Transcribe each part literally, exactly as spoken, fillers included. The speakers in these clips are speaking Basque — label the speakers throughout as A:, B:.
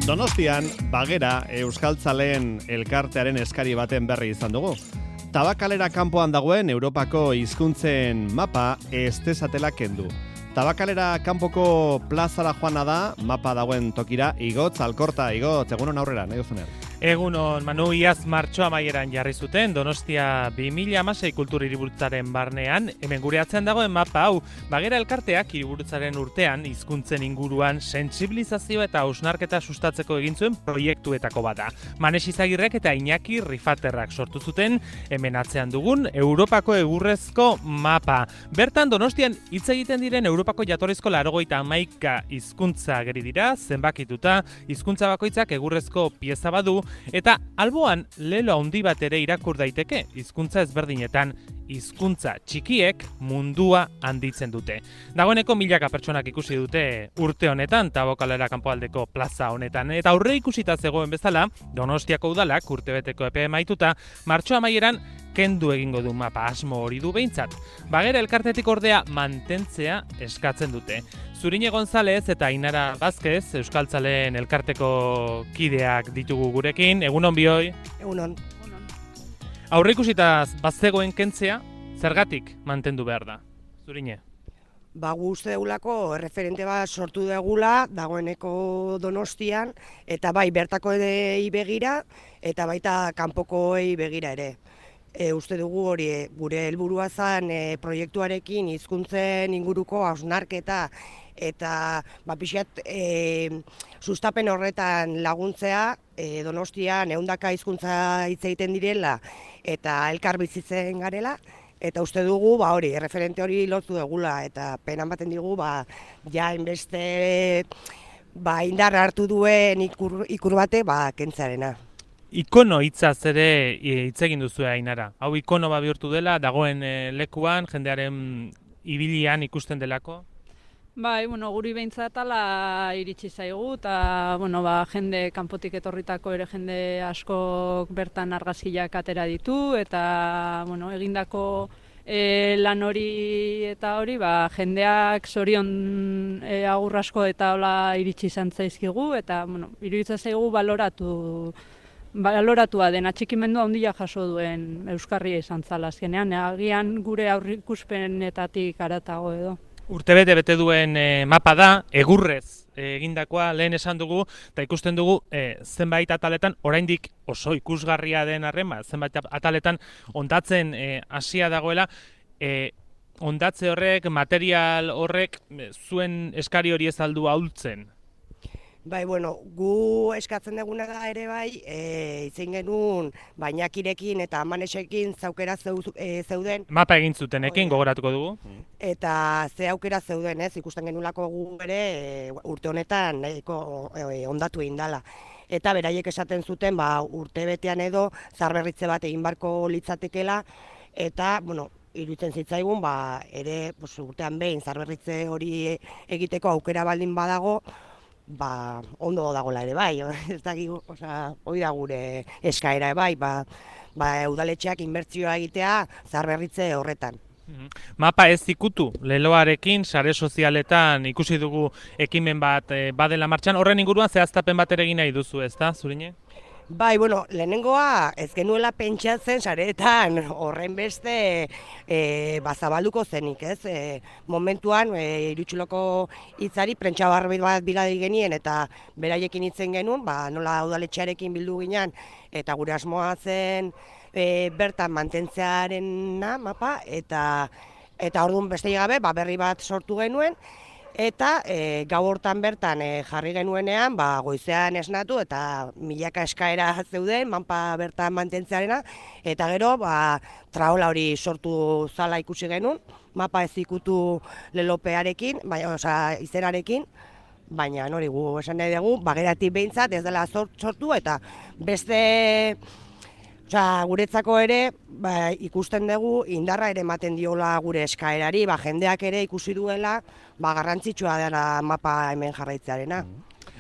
A: Donostian, Bagera Euskaltzaleen elkartearen eskari baten berri izan dugu. Tabakalera kanpoan dagoen Europako hizkuntzen mapa ez dezatela kendu. Tabakalera kanpoko plazara joana da, mapa dagoen tokira, Igotz, Alkorta, Igotz, egunon aurrera, nahi duzunean.
B: Egunon, Manu, iaz martxo amaieran jarri zuten Donostia bi mila hamasei kultur hiriburutzaren barnean, hemen gure atzean dagoen mapa hau, Bagera elkarteak hiriburutzaren urtean hizkuntzen inguruan sentsibilizazio eta hausnarketa sustatzeko egin zuen proiektuetako bada. Manes Izagirrek eta Iñaki Rifaterrak sortu zuten hemen atzean dugun Europako egurrezko mapa. Bertan Donostian hitz egiten diren Europako jatorrizko laurogeita hamaika hizkuntza ageri dira, zenbakituta, hizkuntza bakoitzak egurrezko pieza badu, eta alboan lelo handi bat ere irakur daiteke, hizkuntza ezberdinetan, hizkuntza txikiek mundua handitzen dute. Dagoeneko milaka pertsonak ikusi dute urte honetan, Tabakalera kanpoaldeko plaza honetan, eta aurre ikusita zegoen bezala, Donostiako udalak urtebeteko epe maituta, martxo amaieran kendu egingo du mapa, asmo hori du behintzat. Bagera elkartetik ordea mantentzea eskatzen dute. Zurine González eta Ainara Vázquez, Euskaltzaleen elkarteko kideak ditugu gurekin, egunon bioi.
C: Egunon.
B: Aurre ikusita bazegoen kentzea, zergatik mantendu behar da? Zurine?
C: Ba, uste degulako referente bat sortu degula, dagoeneko Donostian, eta bai bertakoei begira, eta baita kanpokoei begira ere. E, uste dugu hori gure helburua zen e, proiektuarekin hizkuntzen inguruko hausnarketa eta ba, pixat e, sustapen horretan laguntzea, e, Donostian ehundaka hizkuntza hitz egiten direla eta elkar bizitzen garela, eta uste dugu ba, hori referente hori lotu dugula, eta penan baten digu ba, ja inbeste ba, indar hartu duen ikur, ikur bate ba, kentzearena.
B: Ikono hitzaz ere hitz egin duzu Ainara. Hau ikono ba bihurtu dela, dagoen lekuan, jendearen ibilian ikusten delako?
D: Bai, bueno, guri behintzat ala iritsi zaigu, eta bueno, ba, jende kanpotik etorritako ere jende askok bertan argazkiak atera ditu, eta bueno, egindako e, lan hori eta hori, ba, jendeak zorion e, agur asko eta hola iritsi izan zaizkigu, eta bueno, iruditzen zaigu baloratu baloratua den atxikimendua handia jaso duen euskarria izan zala azkenean, agian gure aurreikuspenetatik haratago edo.
B: Urtebete bete duen e, mapa da, egurrez egindakoa lehen esan dugu, eta ikusten dugu e, zenbait ataletan, oraindik oso ikusgarria den arren, zenbait ataletan ondatzen hasia dagoela, e, ondatze horrek, material horrek, zuen eskari hori ez aldu ahultzen.
C: Bai, bueno, gu eskatzen duguna da ere bai, e, itzen genuen Bainakirekin eta Manesekin zaukera zeu, e, zeuden.
B: Mapa egin zutenekin, gogoratuko dugu.
C: Eta ze aukera zeuden, ez, ikusten genulako gu ere e, urte honetan nahiko e, ondatu egin dela. Eta beraiek esaten zuten, ba, urte betean edo zaharberritze bat egin barko litzatekela, eta, bueno, iruditzen zitzaigun, ba, ere pues, urtean behin zaharberritze hori egiteko aukera baldin badago, ba, ondo dagoela ere bai, ez dakigu, osea, hori da gure eskaera bai, ba, ba, udaletxeak inbertsioa egitea zaharberritze horretan.
B: Mapa ez ikutu, leloarekin, sare sozialetan ikusi dugu ekimen bat e, badela martxan, horren inguruan zehaztapen bat ere egin nahi duzu, ez da, Zurine?
C: Bai, bueno, lehenengoa ez genuela pentsatzen sareetan horren beste e, bazabalduko zenik, ez? E, momentuan, e, irutxuloko hitzari prentsa barbi bat biladi genien eta beraiekin hitzen genuen, ba, nola udaletxearekin bildu ginen, eta gure asmoa zen e, bertan mantentzearena mapa, eta, eta orduan beste gabe, ba, berri bat sortu genuen, eta e, gau hortan bertan e, jarri genuenean, ba, goizean esnatu eta milaka eskaera zeuden, manpa bertan mantentzearena, eta gero ba, traola hori sortu zala ikusi genuen, mapa ez ikutu lelopearekin, baina, oza, izerarekin, baina hori gu esan nahi dugu, Bageratik behintzat ez dela sortu, eta beste Osa, guretzako ere, ba, ikusten dugu indarra ere ematen diola gure eskaerari, ba, jendeak ere ikusi duela, ba, garrantzitsua dela mapa hemen jarraitzearena.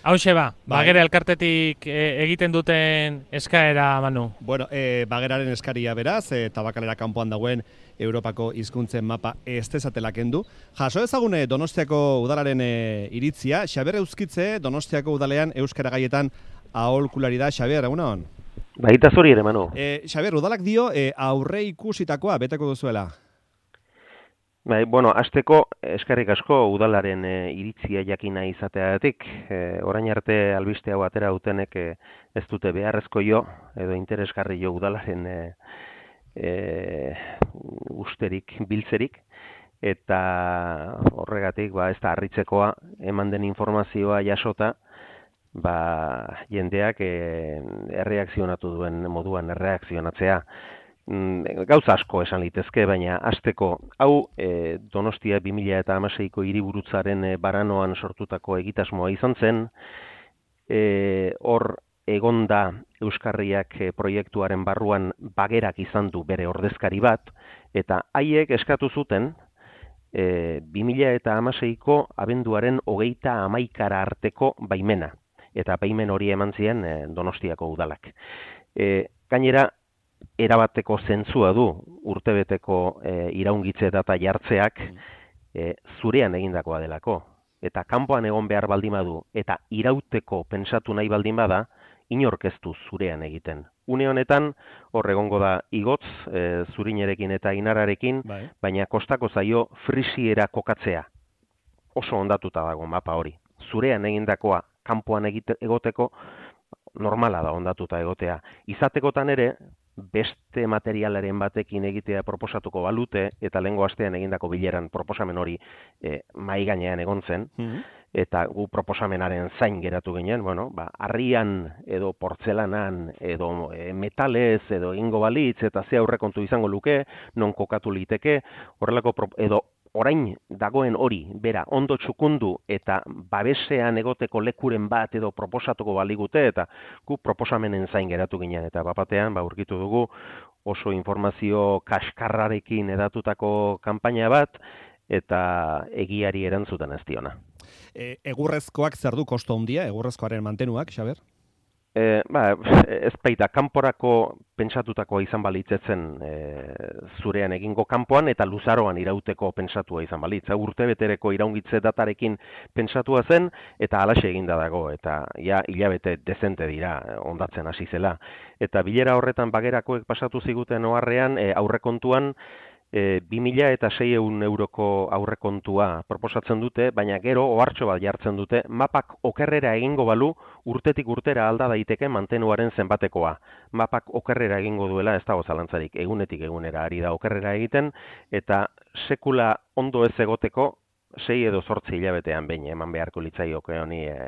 B: Hauxe ba,
A: Bai.
B: Bagera elkartetik e, egiten duten eskaera, Manu.
A: Bueno, e, Bageraren eskaria beraz, e, Tabakalera kanpoan dagoen Europako hizkuntzen mapa ez dezatela kendu. Jaso ezagune Donostiako udalaren e, iritzia, Xabier Euskitze Donostiako udalean euskara gaietan aholkulari da. Xabier, egunon?
E: Baita zuri ere, Manu.
A: E, Xabier, udalak dio e, aurre ikusitakoa beteko duzuela.
E: Bai, bueno, hasteko eskerrik asko udalaren e, iritzia jakina izateagatik. E, orain arte albiste hau atera dutenek e, ez dute beharrezko jo edo interesgarri jo udalaren e, e, usterik, biltzerik. Eta horregatik, ba, ez da harritzekoa, eman den informazioa jasota, ba, jendeak e, erreakzionatu duen moduan erreakzionatzea. Gauza asko esan litezke, baina hasteko hau e, Donostia bi mila hamaseiko hiriburutzaren e, baranoan sortutako egitasmoa izan zen. E, hor egonda Euskarriak e, proiektuaren barruan Bagerak izan du bere ordezkari bat, eta haiek eskatu zuten e, bi mila hamaseiko abenduaren hogeita hamaikara arteko baimena, eta baimen hori eman zien e, Donostiako udalak. E, gainera, erabateko zentzua du urtebeteko e, iraungitze data jartzeak e, zurean egindakoa delako. Eta kanpoan egon behar baldin badu eta irauteko pentsatu nahi baldin bada, inork ez du zurean egiten. Une honetan, hor egongo da igotz, e, zurinerekin eta inararekin,
A: Bai.
E: baina kostako zaio frisiera kokatzea. Oso ondatuta dago mapa hori. Zurean egindakoa kanpoan egite, egoteko, normala da ondatuta egotea. Izatekotan ere, beste materialaren batekin egitea proposatuko balute, eta lehengo astean egindako bileran proposamen hori e, mahai gainean egon zen,
A: Mhm.
E: eta gu proposamenaren zain geratu ginen, bueno, ba, harrian edo portzelanan edo e, metalez edo ingo balitz eta ze aurrekontu izango luke, non kokatu liteke, horrelako pro, edo orain dagoen hori, bera, ondo txukundu eta babesean egoteko lekuren bat edo proposatuko baligute, eta gu proposamenen zain geratu ginen, eta bapatean, ba, urkitu dugu oso informazio kaskarrarekin edatutako kanpaina bat, eta egiari erantzuten ez diona.
A: E, egurrezkoak zer du kosto handia, egurrezkoaren mantenuak, Xabier?
E: E, ba, ez baita, kanporako pentsatutakoa izan balitzetzen e, zurean egingo kanpoan eta luzaroan irauteko pentsatua izan balitza. Urtebetereko iraungitze datarekin pentsatua zen eta halaxe eginda dago, eta ja hilabete dezente dira ondatzen hasi zela. Eta bilera horretan Bagerakoek pasatu ziguten oharrean e, aurrekontuan E, bi mila eta seiehun euroko aurrekontua proposatzen dute, baina gero ohartxo bat jartzen dute, mapak okerrera egingo balu urtetik urtera alda daiteke mantenuaren zenbatekoa. Mapak okerrera egingo duela ez dago zalantzarik, egunetik egunera ari da okerrera egiten, eta sekula ondo ez egoteko, sei edo zortzi hilabetean behin eman beharko litzaioke honi e,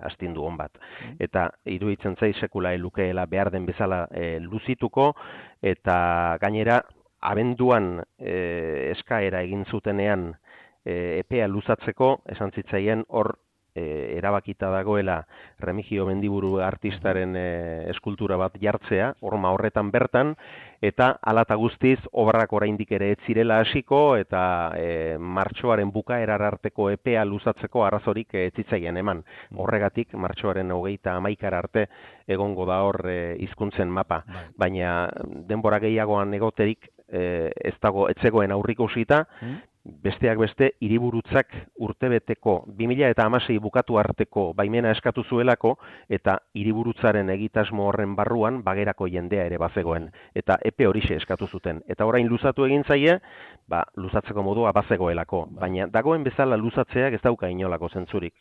E: astindu on bat. Eta iruditzen zai sekula elukeela behar den bezala e, luzituko, eta gainera, abenduan e, eskaera egin zutenean e, epea luzatzeko, esan zitzaien hor e, erabakita dagoela Remigio Mendiburu artistaren e, eskultura bat jartzea, horma horretan bertan, eta halata guztiz obrak oraindik ere ez zirela hasiko eta e, martxoaren bukaerar arteko epea luzatzeko arazorik ez zitzaien eman. Horregatik martxoaren hogeita hamaikara arte egongo da hor e, hizkuntzen mapa, baina denbora gehiagoan egoterik e, ez dago etzegoen aurrikusita, besteak beste hiriburutzak urtebeteko bi mila hamasei bukatu arteko baimena eskatu zuelako eta hiriburutzaren egitasmo horren barruan Bagerako jendea ere bazegoen eta epe horixe eskatu zuten eta orain luzatu egin zaie, ba luzatzeko modua bazegoelako, baina dagoen bezala luzatzeak ez dauka inolako zentzurik.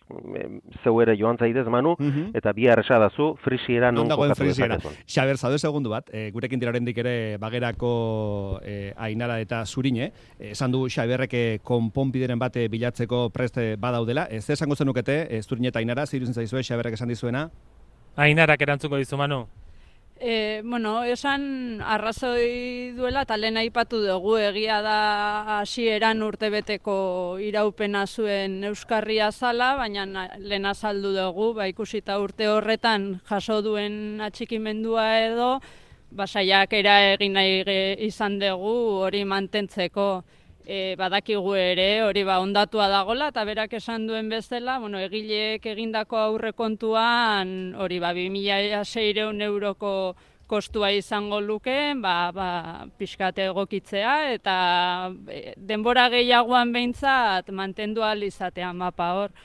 E: Zeu ere joan zaitez, Manu, mm-hmm. eta bihar esadazu frisiera non kokatu dezakezun.
A: Xabier, zaude segundu bat, e, gurekin dirarendik ere Bagerako e, Ainara eta Zurine, e, esan du Xabierrek konponbideren bate bilatzeko preste badaudela. Ez esango zenukete, ez Zurine eta Ainara, ziruzen zaizue, Xabierrek esan dizuena?
B: Ainarak erantzuko dizu, Manu.
D: E, bueno, esan arrazoi duela eta lehen aipatu dugu, egia da hasieran urtebeteko iraupena zuen Euskarria zala, baina lehen azaldu dugu, ba, ikusita urte horretan jaso duen atxikimendua edo, ba, saiakera egin nahi izan dugu hori mantentzeko. E, badakigu ere, hori ba, ondatua dagola, eta berak esan duen bezala, bueno, egileek egindako aurrekontuan, hori ba, bi mila seiehun euroko kostua izango luke, ba, ba, pixkate egokitzea, eta denbora gehiagoan behintzat mantendu ahal izatea mapa hor.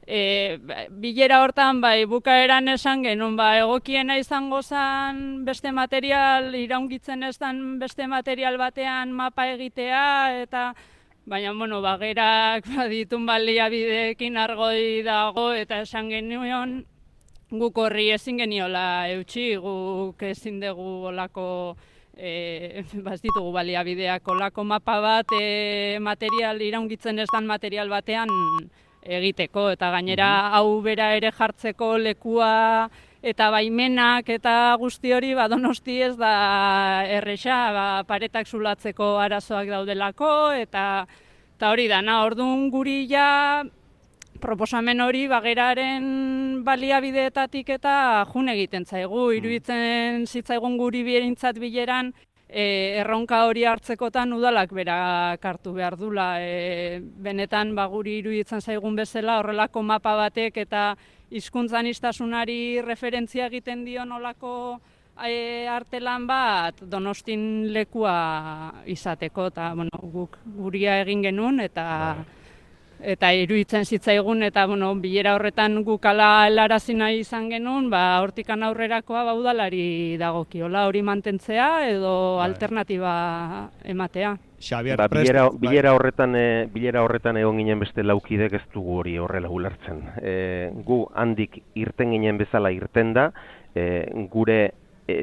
D: E, bilera hortan, bai, bukaeran esan genuen, ba, egokiena izango zen beste material, iraungitzen ez den beste material batean mapa egitea, eta baina, bueno, bagerak baditun baliabideekin argoi dago, eta esan genuen, guk horri ezin geniola eutxi, guk ezin dugu olako, e, baz ditugu baliabideak, olako mapa bat, e, material, iraungitzen ez den material batean, egiteko, eta gainera hau bera ere jartzeko lekua eta baimenak eta guzti hori ba, Donosti ez da erresa, ba, paretak zulatzeko arazoak daudelako, eta, eta hori dana, orduan guri ja proposamen hori bageraren baliabideetatik eta jun egiten zaigu, iruditzen zitzaigun guri bierintzat bileran, E, erronka hori hartzekotan udalak berak hartu behar dula. E, benetan ba, guri iruditzen zaigun bezala horrelako mapa batek eta hizkuntzan iztasunari referentzia egiten dion olako e, artelan bat Donostin lekua izateko, eta bueno, guk guria egin genuen eta eta iruditzen zitzaigun, eta bueno, bilera horretan guk ala helarazi nahi izan genuen, ba, hortikan aurrerakoa ba, udalari dagokiola hori mantentzea edo alternatiba ematea.
A: Xabier,
E: ba,
A: prest,
E: bilera,
A: bai.
E: bilera, horretan, e, bilera horretan egon ginen beste laukidek ez dugu hori horrela ulertzen. E, gu handik irten ginen bezala irten da, e, gure e,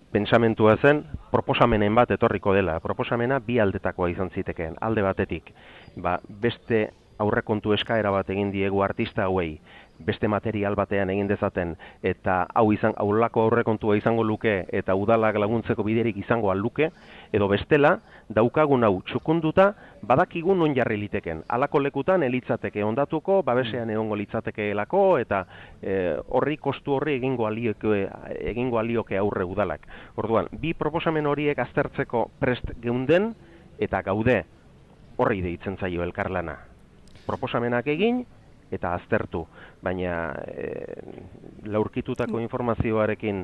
E: pentsamentua zen proposamenen bat etorriko dela. Proposamena bi aldetakoa izan zitekeen, alde batetik. Ba, beste aurrekontu eskaera bat egin diegu artista hauei, beste material batean egin dezaten, eta hau izan aurlako aurrekontua izango luke, eta udalak laguntzeko biderik izango aluke, edo bestela, daukagun hau txukunduta, badakigu non jarri liteken. Halako lekutan elitzateke ondatuko, babesean egongo litzatekeelako, eta e, horri kostu horri egingo alioke, egingo alioke aurre udalak. Orduan, bi proposamen horiek aztertzeko prest geunden, eta gaude horri deitzen zaio elkarlana. Proposamenak egin eta aztertu, baina e, laurkitutako informazioarekin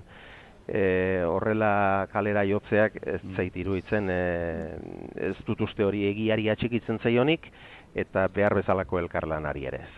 E: e, horrela kalera jotzeak ez zait iruditzen, e, ez dut uste hori egiari atxikitzen zaionik, eta behar bezalako elkarlanari ere ez.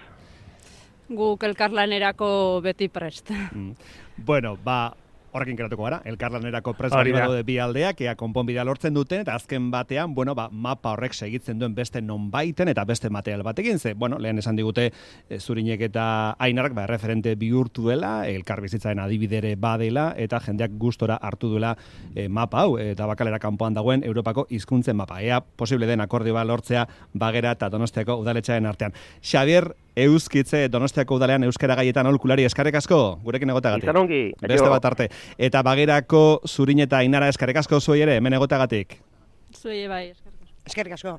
D: Guk elkarlanerako beti prest.
A: Mm. Bueno, ba, horrekin geratuko gara, elkarlanerako prest bari badaude bi aldeak, ea konponbidea lortzen duten, eta azken batean, bueno, ba, mapa horrek segitzen duen beste nonbaiten eta beste material batekin, ze, bueno, lehen esan digute e, Zurinek eta Ainarak, ba, referente bihurtu dela, elkarbizitzaren adibidere badela, eta jendeak gustora hartu duela e, mapa hau, eta Tabakalera kanpoan dagoen Europako hizkuntzen mapa. Ea posible den akordio bat lortzea Bagera eta Donostiako udaletxearen artean. Xabier Euskitze Donostiako udalean euskara gaietan aholkulari, eskerrik asko, gurekin egotagatik.
E: Izan ongi.
A: Beste bat arte. Eta Bagerako Zurin eta Ainara eskerrik asko zuei ere, hemen egotagatik.
D: Zuei bai, eskerrik asko.
C: Eskerrik asko.